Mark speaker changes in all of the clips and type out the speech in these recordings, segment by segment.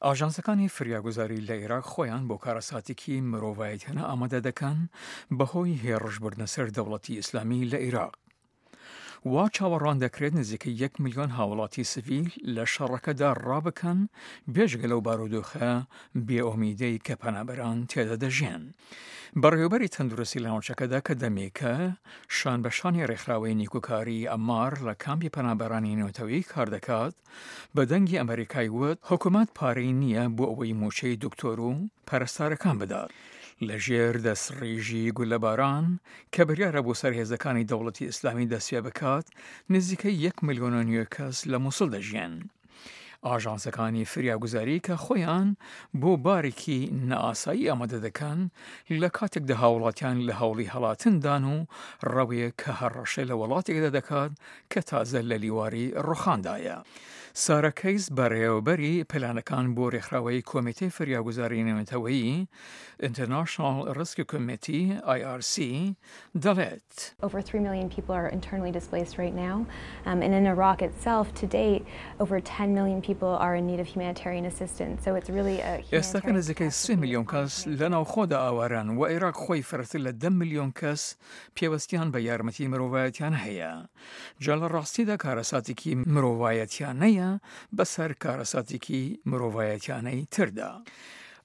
Speaker 1: ئاژانسەکانی فریاگوزاری لە ئێراق خۆیان بۆ کارەساتێکی مرۆڤایەتیانە ئامادە دەکەن بەهۆی هێڕشبردنە سەر دەوڵەتی ئیسلامی لە ئێراق. وا چاوەڕوان دەکرێت نزیکەی یەک ملیۆن هاوڵاتی سڤیل لە شەڕەکەدا ڕابکەن، بێجگە لەو بارودۆخە بێئومیدەی کە پەنابەران تێدا دەژیێن. بەڕێوەبەری تەندروستی لە ناوچەکەدا کە دەمێکە شان بە شانی ڕێکخراوەی نیکوکاری ئەمار لە کامپی پەنابەرانی نێونەتەوەیی کار دەکات، بە دەنگی ئەمەریکای وت حکومەت پارەی نییە بۆ ئەوەی مووچەی دکتۆر و پەرستارەکان بدات. لە ژێر دەستڕیژی گوللەباران کە بریارە بۆ سەر هێزەکانی دەوڵەتی ئیسلامی دەستپێبکات، نزیکەی یەک ملیۆن و نیو کەس لە موسڵ دەژیێن. ئاژانسەکانی فریاگوزاری کە خۆیان بۆ بارێکی نائاسایی ئامادە دەکەن، لە کاتێکدا هاوڵاتیان لە هەوڵی هەڵاتندان و ڕەوێک کە هەڕەشە لە وڵاتێکدا دەکات کە تازە لە لیواری ڕوخاندایە. سارە کەیس بەڕێوەبەری پلانەکان بۆ رێکخراوەی کۆمیتەی فریاگوزاری نێونەتەوەیی، International Rescue Committee، IRC، دەڵێت.
Speaker 2: Over 3 million people are internally displaced right now, and in Iraq itself to date over 10 million people are in need of humanitarian assistance, so it's really a
Speaker 1: ئێستاکە
Speaker 2: humanitarian
Speaker 1: نزیکەی سێ
Speaker 2: catastrophe
Speaker 1: ملیۆن
Speaker 2: that's
Speaker 1: کەس
Speaker 2: happening.
Speaker 1: لە ناوخۆدا ئاوارەن و عێراق خۆی فرەتر لە دە ملیۆن کەس پێوستیان بە یارمەتی مرۆڤایەتیانە هەیە. جا لە ڕاستیدا کارەساتێکی مرۆڤایەتیانەیە بەسەر کارەساتێکی مرۆڤایەتیانەی تردا.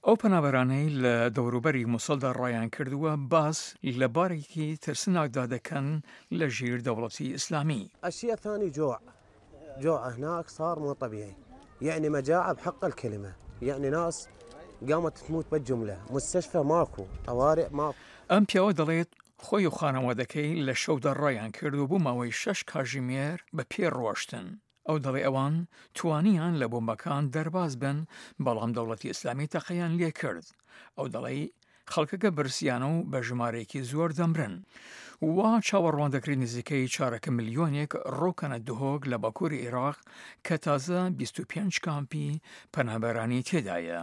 Speaker 1: ئەو پەنابەرانەی لە دەوروبەری موسڵدا ڕایان کردووە باس لە بارێکی ترسناکدا دەکەن لە ژیر دەوڵەتی ئیسلامی.
Speaker 3: الشيء الثاني جوع جوع هناك صار مو طبيعي يعني مجاعة بحق الكلمة يعني ناس قامت تموت بالجملة مستشفى ماكو طوارئ ماكو.
Speaker 1: ئەم پیاوە دەڵێت خۆی و خانەوادەکەی لە شەودا ڕایان کرد و بۆ ماوەی شەش کاژیمێر بە پێ ڕۆشتن. ئەو دەڵێ ئەوان توانیان لە بۆمبەکان دەرباز بن بەڵام دەوڵەتی ئیسلامی تەقەیان لێکرد. ئەو دەڵێ خەڵکەکە برسیانە و بە ژمارەیەکی زۆر دەمرن. وا چاوەڕوان دەکرێت نزیکەی چارەکە ملیۆنێک ڕووکەنە دهۆک لە باکووری عێراق کە تازە 25 کامپی پەنابەرانی تێدایە.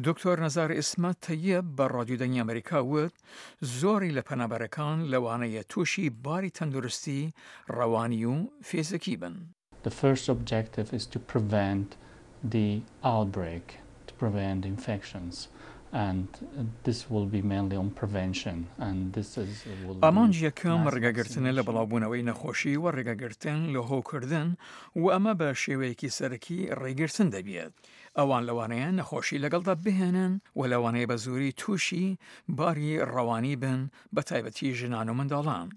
Speaker 1: دکتۆر نەزار ئیسمەت تەیب بە ڕادیو دەنگی ئەمریکا وت زۆری لە پەنابەرەکان لەوانەیە تووشی باری تەندروستی ڕەوانی و فیزیکی بن.
Speaker 4: The first objective is to prevent the outbreak, to prevent infections and this will be mainly on prevention and this is will be
Speaker 1: ئامانج یەکەم
Speaker 4: mass
Speaker 1: ڕێگەگرتنە لە
Speaker 4: vaccination.
Speaker 1: بڵاوبوونەوەی نەخۆشی و ڕێگەگرتن لە هەوکردن و ئەمە بە شێوەیەکی سەرەکی ڕێگرتن دەبێت. ئەوان لەوانەیە نەخۆشی لەگەڵدا بهێنن و لەوانەیە بە زۆری تووشی باری ڕەوانی بن بە تایبەتی ژنان و منداڵان.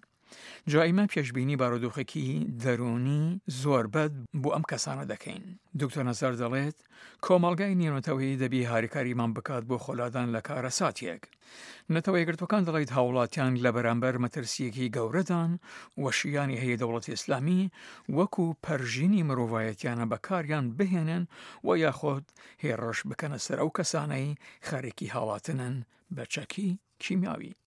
Speaker 1: جا ئیمە پێشبینی بارودۆخێکی دەروونی زۆر بەد بۆ ئەم کەسانە دەکەین. دکتۆر نەزار دەڵێت، کۆمەڵگای نێونەتەوەیی دەبی هاریکاریمان بکات بۆ خۆلادان لە کارەساتێک. نەتەوە یەکگرتووەکان دەڵێت هاوڵاتیان لە بەرامبەر مەترسییەکی گەورەدان و شیانی هەیە دەوڵەتی ئیسلامی وەکو پەرژینی مرۆڤایەتیانە بەکاریان بهێنن و یاخود هێڕش بکەنە سەر ئەو کەسانەی خەرێکی هاڵاتنن بە چەکی کیمیاوی.